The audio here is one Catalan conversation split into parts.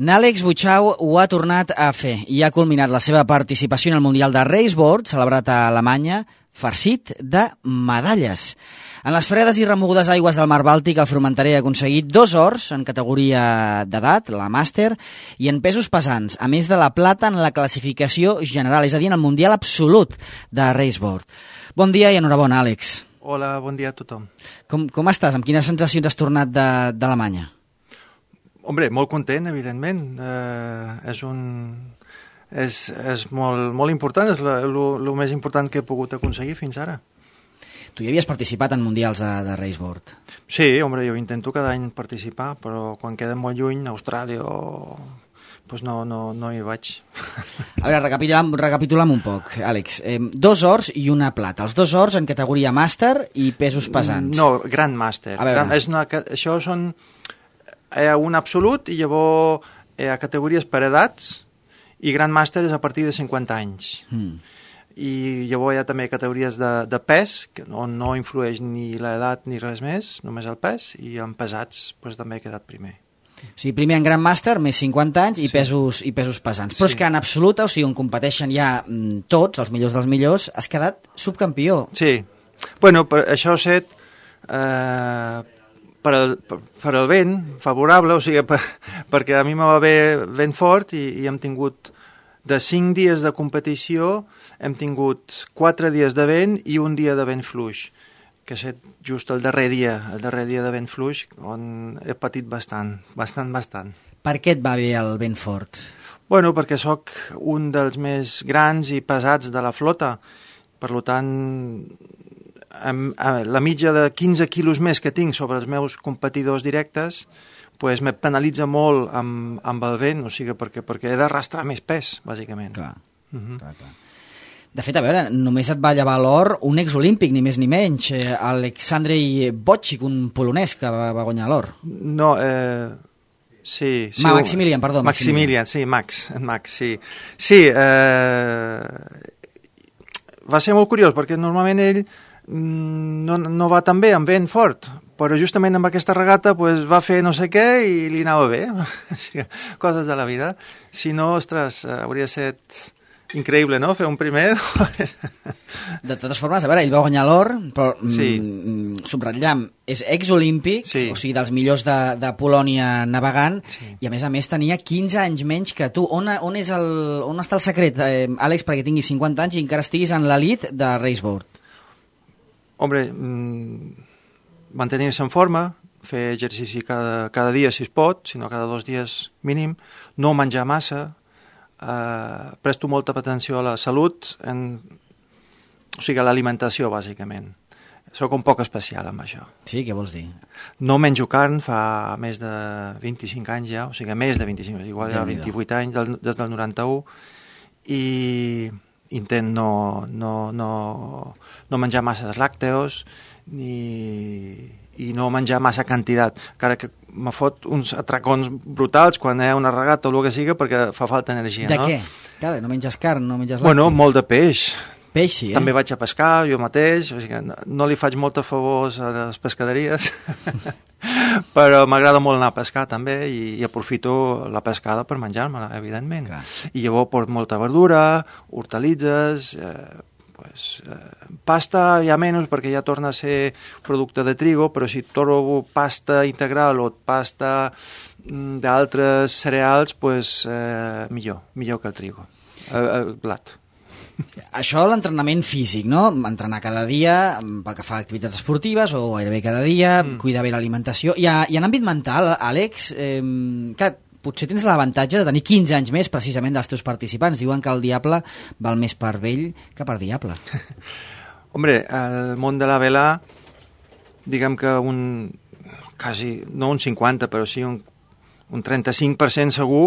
Àlex Butxau ho ha tornat a fer i ha culminat la seva participació en el Mundial de Raceboard, celebrat a Alemanya, farcit de medalles. En les fredes i remogudes aigües del Mar Bàltic, el fromenterer ha aconseguit 2 ors en categoria d'edat, la màster, i en pesos pesants, a més de la plata en la classificació general, és a dir, en el Mundial absolut de Raceboard. Bon dia i enhorabona, Àlex. Hola, bon dia a tothom. Com estàs? Amb quines sensacions has tornat d'Alemanya? Hombre, molt content, evidentment. És molt important, és el més important que he pogut aconseguir fins ara. Tu ja havies participat en mundials de Raceboard? Sí, hombre, jo intento cada any participar, però quan queda molt lluny, Austràlia pues no hi vaig. A veure, recapitulem un poc, Àlex. 2 ors i una plata. Els 2 ors en categoria màster i pesos pesants. No, Grand Master. Això són un absolut i llavors categories per edats i Grand Master és a partir de 50 anys. I llavors hi ha també categories de pes, on no influeix ni l'edat ni res més, només el pes, i en pesats pues, també he quedat primer. O sigui, primer en Grand Master, més 50 anys i pesos pesants. Però és que en absoluta, o sigui, on competeixen ja tots, els millors dels millors, has quedat subcampió. Sí. Bueno, això ha estat per el vent favorable, o sigui, perquè a mi me va bé vent fort i hem tingut de 5 dies de competició hem tingut 4 dies de vent i un dia de vent fluix, que ha estat just el darrer dia de vent fluix, on he patit bastant. Per què et va bé el vent fort? Bueno, perquè sóc un dels més grans i pesats de la flota, per tant, la mitja de 15 quilos més que tinc sobre els meus competidors directes pues me penalitza molt amb el vent, o sigui, perquè he d'arrastrar més pes, bàsicament. Clar. De fet, a veure, només et va llevar l'or un exolímpic, ni més ni menys, Aleksandrzej Wojcik, un polonès que va guanyar l'or. No, sí. Maximilian, perdó. Maximilian, sí, Max, sí. Sí, va ser molt curiós, perquè normalment ell no va tan bé amb vent fort, però justament amb aquesta regata pues, va fer no sé què i li anava bé. Coses de la vida. Si no, ostres, hauria estat increïble, no?, fer un primer. De totes formes, a veure, ell va guanyar l'or, però subratllem, és exolímpic, o sigui, dels millors de Polònia navegant, i a més tenia 15 anys menys que tu. On està el secret, Àlex, perquè tinguis 50 anys i encara estiguis en l'elit de Raceboard? Hombre, mantenir-se en forma, fer exercici cada dia si es pot, sinó cada 2 dies mínim, no menjar massa, presto molta atenció a la salut, o sigui, a l'alimentació, bàsicament. Soc un poc especial amb això. Sí, què vols dir? No menjo carn fa més de 25 anys ja, o sigui, més de 25 anys, igual ja 28 anys, des del 91, i intent no menjar masses làcteos i no menjar massa quantitat, encara que me fot uns atracons brutals quan hi ha una regata o el que sigui perquè fa falta energia. De què? Clar, no menges carn, no menges làcteos. Bueno, molt de peix. Peix, sí, També vaig a pescar jo mateix, o sigui, no li faig molta favors a les pescaderies, però m'agrada molt anar a pescar també i aprofito la pescada per menjar-me-la, evidentment. Clar. I llavors porto molta verdura, hortalitzes, pasta ja menys perquè ja torna a ser producte de trigo, però si trobo pasta integral o pasta d'altres cereals, pues, millor que el trigo, el blat. Això l'entrenament físic, no? Entrenar cada dia pel que fa a activitats esportives o gairebé cada dia, cuidar bé l'alimentació. I en àmbit mental, Àlex, clar, potser tens l'avantatge de tenir 15 anys més precisament dels teus participants. Diuen que el diable val més per vell que per diable. Hombre, el món de la vela, diguem que no un 50, però sí un 35% segur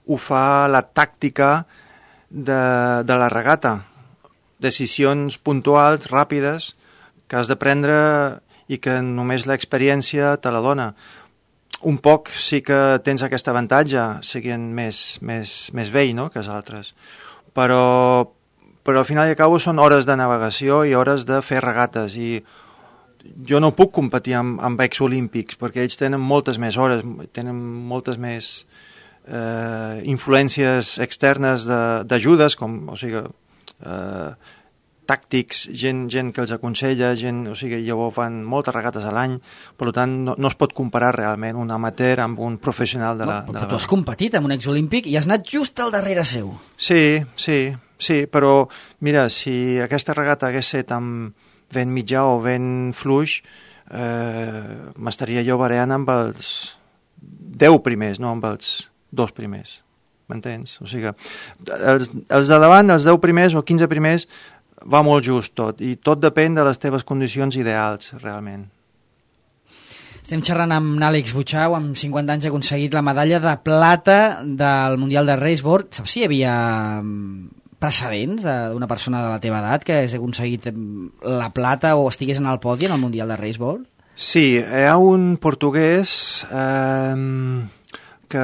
ho fa la tàctica de la regata. Decisions puntuals, ràpides, que has de prendre i que només l'experiència te la dona. Un poc sí que tens aquest avantatge, siguent més vell, no?, que els altres. Però al final i al cabo són hores de navegació i hores de fer regates, i jo no puc competir amb exolímpics, perquè ells tenen moltes més hores, tenen moltes més influències externes d'ajudes, com, o sigui, tàctics, gent que els aconsella, o sigui, llavors fan moltes regates a l'any, per tant no es pot comparar realment un amateur amb un professional de la Però tu has competit amb un exolímpic i has anat just al darrere seu. Sí, però mira, si aquesta regata hagués estat amb vent mitjà o vent fluix, m'estaria jo bareant amb els 10 primers, no amb els 2 primers, m'entens? O sigui, els de davant, els 10 primers o 15 primers, va molt just tot, i tot depèn de les teves condicions ideals, realment. Estem xerrant amb Àlex Butxau, amb 50 anys ha aconseguit la medalla de plata del Mundial de Raceboard. Saps si hi havia precedents d'una persona de la teva edat que hagués aconseguit la plata o estigués en el podi en el Mundial de Raceboard? Sí, hi ha un portuguès que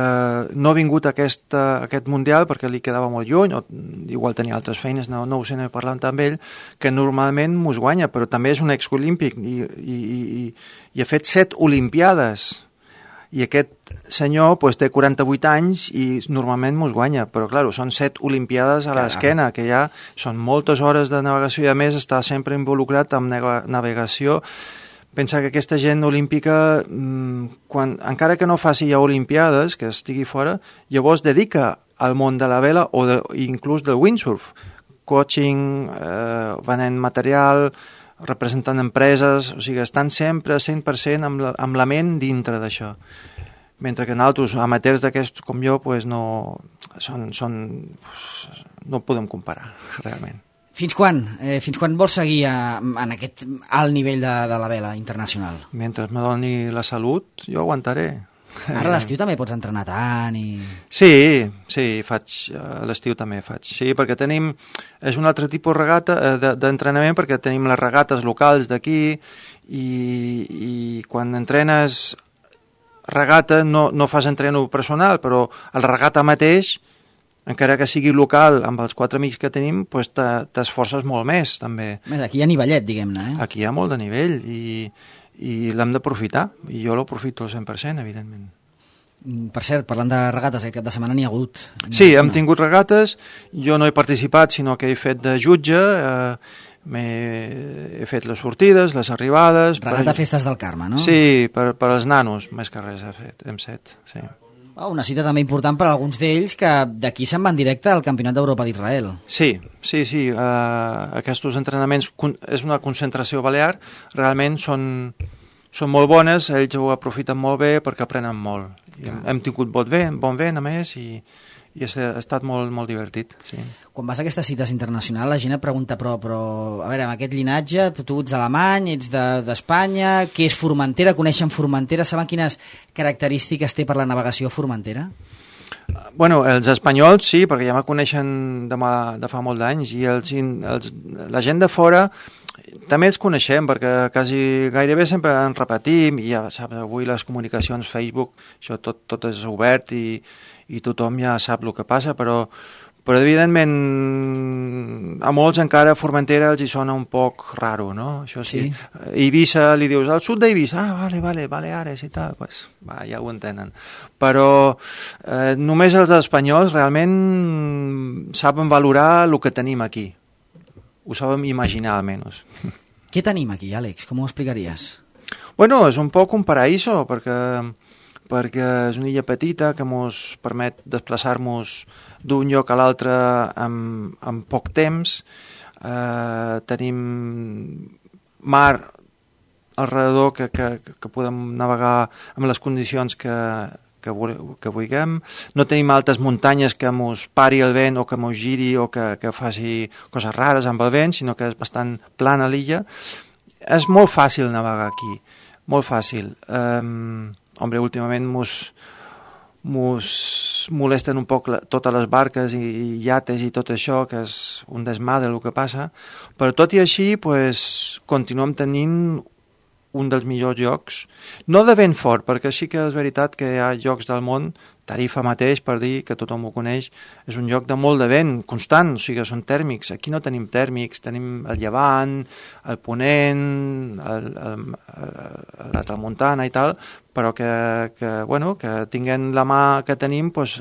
no ha vingut a aquest Mundial perquè li quedava molt lluny, o igual tenia altres feines, no ho sé, no he parlat amb ell, que normalment mos guanya, però també és un exolímpic i ha fet 7 olimpiades. I aquest senyor pues, té 48 anys i normalment mos guanya, però clar, són 7 olimpiades a l'esquena, que ja són moltes hores de navegació i a més està sempre involucrat amb navegació. Pensa que aquesta gent olímpica, encara que no faci ja olimpiades, que estigui fora, llavors dedica al món de la vela o inclús del windsurf. Coaching, venent material, representant empreses, o sigui, estan sempre 100% amb la ment dintre d'això. Mentre que nosaltres, amateurs d'aquests com jo, pues no podem comparar, realment. Fins quan vols seguir en aquest alt nivell de la vela internacional? Mentre me doni la salut, jo aguantaré. Ara a l'estiu també pots entrenar tant i... Sí, a l'estiu també faig. Sí, perquè és un altre tipus de regata d'entrenament, perquè tenim les regates locals d'aquí i quan entrenes regata no fas entreno personal, però el regata mateix, encara que sigui local, amb els 4 amics que tenim, pues t'esforces molt més, també. Aquí hi ha nivellet, diguem-ne, eh? Aquí hi ha molt de nivell i l'hem d'aprofitar, i jo l'aprofito al 100%, evidentment. Per cert, parlant de regates, aquest cap de setmana n'hi ha hagut. Sí, hem tingut regates, jo no he participat, sinó que he fet de jutge, he fet les sortides, les arribades... Regata Festes del Carme, no? Sí, per als nanos, més que res hem set, sí. Una cita també important per a alguns d'ells que d'aquí se'n van directe al Campionat d'Europa d'Israel. Sí. Aquests entrenaments és una concentració balear, realment són molt bones, ells ho aprofiten molt bé perquè aprenen molt. Hem tingut bon vent, a més, i ha estat molt, molt divertit. Sí. Quan vas a aquestes cites internacionals, la gent et pregunta, però a veure, amb aquest llinatge, tu ets alemany, ets d'Espanya, què és Formentera? Coneixen Formentera? Saben quines característiques té per la navegació Formentera? Bueno, els espanyols sí, perquè ja me coneixen de fa molt d'anys, i la gent de fora també els coneixem, perquè gairebé sempre en repetim, i ja saps, avui les comunicacions, Facebook, això tot és obert i tothom ja sap el que passa, però evidentment a molts encara Formentera els hi sona un poc raro, no? Això sí. Eivissa, li dius, al sud d'Eivissa, vale, Baleares i tal, pues, ja ho entenen. Però només els espanyols realment saben valorar el que tenim aquí. Ho saben imaginar, almenys. Què tenim aquí, Àlex? Com ho explicaries? Bueno, és un poc un paraíso, perquè és una illa petita que ens permet desplaçar-nos d'un lloc a l'altre en poc temps. Tenim mar alrededor que podem navegar amb les condicions que vulguem. No tenim altes muntanyes que ens pari el vent o que ens giri o que faci coses rares amb el vent, sinó que és bastant plana l'illa. És molt fàcil navegar aquí, molt fàcil. Últimament mos molesten un poc totes les barques i iates i tot això, que és un desmadre el que passa, però tot i així continuem tenint un dels millors llocs, no de vent fort, perquè sí que és veritat que hi ha llocs del món Tarifa mateix, per dir que tothom ho coneix, és un lloc de molt de vent constant, o sigui, són tèrmics. Aquí no tenim tèrmics, tenim el llevant, el ponent, la tramuntana i tal, però que tinguent la mà que tenim, doncs,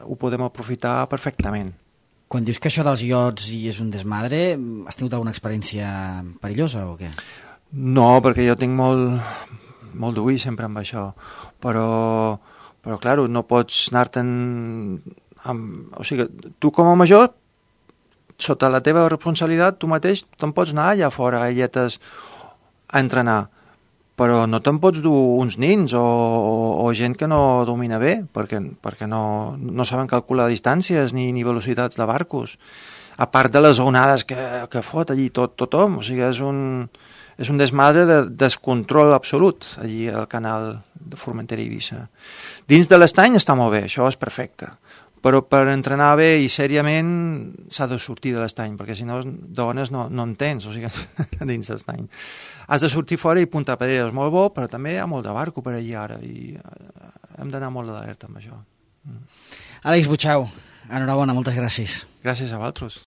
ho podem aprofitar perfectament. Quan dius que això dels iots i és un desmadre, has tingut alguna experiència perillosa o què? No, perquè jo tinc molt d'ull sempre amb això, però clar, no pots anar-te'n o sigui, tu com a major, sota la teva responsabilitat, tu mateix te'n pots anar allà fora a Illetes a entrenar, però no te'n pots dur uns nins o gent que no domina bé, perquè no saben calcular distàncies ni velocitats de barcos, a part de les onades que fot allí tothom, o sigui, és un desmadre de descontrol absolut allí al canal de Formentera i Eivissa. Dins de l'estany està molt bé, això és perfecte, però per entrenar bé i sèriament s'ha de sortir de l'estany, perquè si no dones no en tens, o sigui, dins l'estany. Has de sortir fora i Punta Pedrera és molt bo, però també hi ha molt de barco per allí ara i hem d'anar molt d'alerta amb això. Àlex Butxau, enhorabona, moltes gràcies. Gràcies a vosaltres.